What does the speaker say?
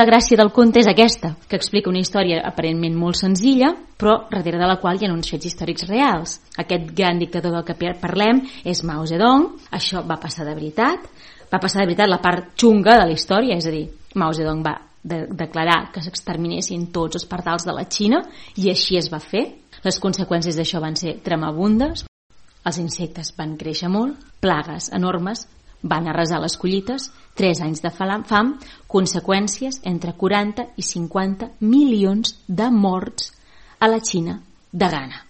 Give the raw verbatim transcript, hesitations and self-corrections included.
La gràcia del conte és aquesta, que explica una història aparentment molt senzilla, però darrere de la qual hi ha uns fets històrics reals. Aquest gran dictador del que parlem és Mao Zedong. Això va passar de veritat. Va passar de veritat la part xunga de la història, és a dir, Mao Zedong va de declarar que s'exterminessin tots els pardals de la Xina i així es va fer. Les conseqüències d'això van ser tremabundes. Els insectes van créixer molt, plagues enormes, van arrasar les collites, tres anys de fam, conseqüències entre quaranta i cinquanta milions de morts a la Xina de gana.